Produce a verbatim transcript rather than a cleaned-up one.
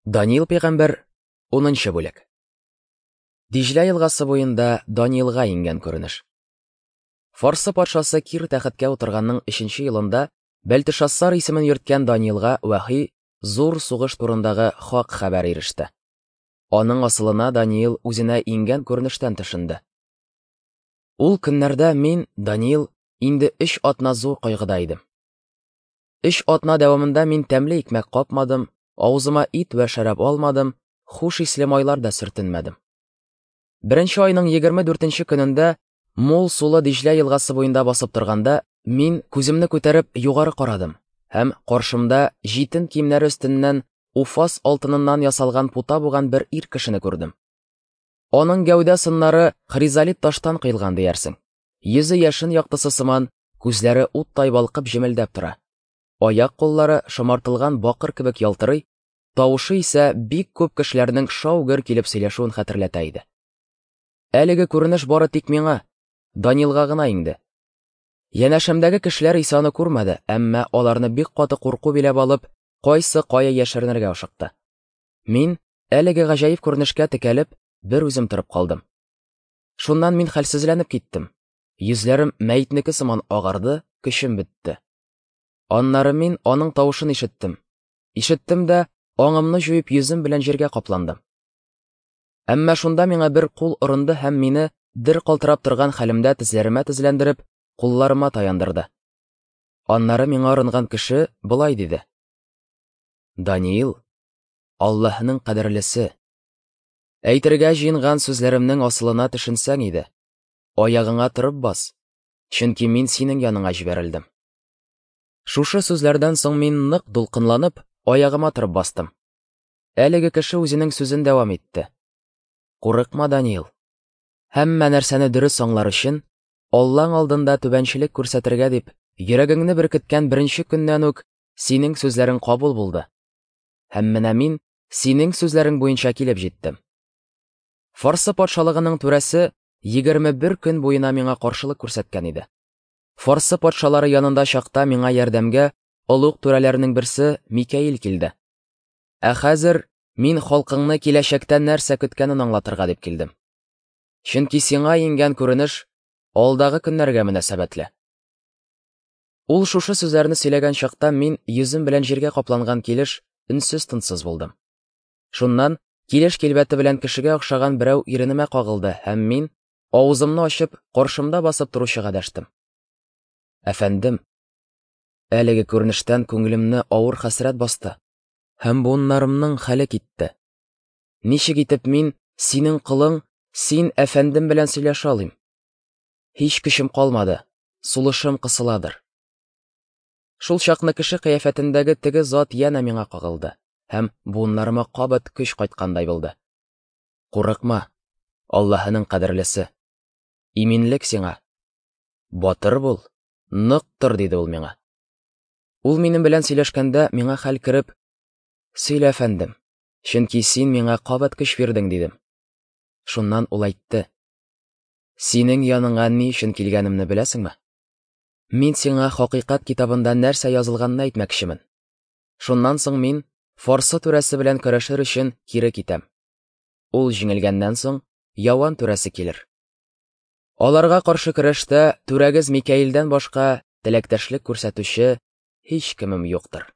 Даниил пәйгамбәр, унынчы бүлек. Диҗлә елгасы буенда Даниилга иңгән күренеш. Фарсы патшасы Кир тәхеткә утырганның өченче елында Бәлтешассар исемен йөрткән Даниилга вәхи зур сугыш турындагы хак хәбәр иреште. Аның асылына Даниил үзенә иңгән күренештән төшенде. Ул көннәрдә мин, Даниил, инде өч атна зур кайгыда идем. Өч атна дәвамында мин тәмле икмәк капмадым, авызыма ит вә шәраб алмадым, хуш исле майлар да сөртенмәдем. Беренче айның егерме дүртенче көнендә мул сулы Диҗлә елгасы буенда басып торганда, мин күземне күтәреп югары карадым һәм каршымда җитен киемнәре өстеннән Уфас алтыныннан ясалган пута буган бер ир кешене күрдем. Аның гәүдә сыннары хризолит таштан кыйлган диярсең. Йөзе яшен яктысы сыман, күзләре уттай балкып җемелдәп тора. Аяк куллары шомартылган бакыр кебек ялтырый, тавышы исә бик күп кешеләрнең шау-гөр килеп сөйләшүен хәтерләтә иде. Әлеге күренеш бары тик миңа, Даниилга гына иңде. Янәшәмдәге кешеләр исә аны күрмәде, әмма аларны бик каты курку биләп алып, кайсы кая яшеренергә ашыкты. Мин әлеге гаҗәеп күренешкә текәлеп, бер үзем торып калдым. Шуннан мин хәлсезләнеп киттем. Йөзләрем мәетнеке сыман агарды, көчем бетте. Аннары мин аның тавышын ишеттем. Ишеттем дә, аңымны җуеп йөзем белән җиргә капландым. Әмма шунда миңа бер кул орынды һәм мине дер калтырап торган хәлемдә тезләремә тезләндереп, кулларыма таяндырды. Аннары миңа орынган кеше болай диде: Даниил, Аллаһның кадерлесе, әйтергә җыенган сүзләремнең асылына төшенсәң иде, аягыңа торып бас, чөнки мин синең яныңа җибәрелдем. Шушы сүзләрдән соң мин нык дулкынланып, аягыма торып бастым. Әлеге кеше үзенең сүзен дәвам итте. Курыкма, Даниил. Һәммә нәрсәне дөрес аңлар өчен, Аллаң алдында түбәнчелек күрсәтергә дип, йөрәгеңне беркеткән беренче көннән үк синең сүзләрең кабул булды. Һәм менә мин синең сүзләрең буенча килеп җиттем. Фарсы патшалыгының түрәсе егерме бер көн буена миңа каршылык күрсәткән иде. Фарсы патшалары янында чакта миңа ярдәмгә олуг түрәләрнең берсе Микаил килде. Ә хәзер мин халкыңны киләчәктә нәрсә көткәнен аңлатырга дип килдем. Чөнки сиңа иңгән күренеш алдагы көннәргә мөнәсәбәтле. Ул шушы сүзләрне сөйләгән чакта мин йөзем белән җиргә капланган килеш өнсез-тынсыз булдым. Шуннан килеш килбәте белән кешегә охшаган берәү иренемә кагылды һәм мин авызымны ачып каршымда басып торучыга дәштем. Әфәндем, әлеге күренештән күңелемне авыр хәсрәт басты һәм буыннарымның хәле китте. Ничек итеп мин синең колың, син әфәндем белән сөйләшә алыйм? Һич көчем калмады, сулышым кысыладыр. Шул чакны кеше кыяфәтендәге теге зат янә миңа кагылды һәм буыннарыма кабат көч кайткандай булды. Курыкма, Аллаһының кадерлесе. Иминлек сиңа. Батыр бул, нык тор, диде ул миңа. Ул минем белән сөйләшкәндә миңа хәл кереп, сөйлә, әфәндем, чөнки син миңа кабат көч бирдең, дидем. Шуннан ул әйтте: Синең яныңа ни өчен килгәнемне беләсеңме? Мин сиңа хакыйкать китабында нәрсә язылганын әйтмәкчемен. Шуннан соң мин Фарсы түрәсе белән көрәшер өчен кире китәм. Ул җиңелгәннән соң Яван түрәсе килер. Аларга каршы көрәштә түрәгез Микаилдән башка теләктәшлек күрсәтүче һич кемем юктыр.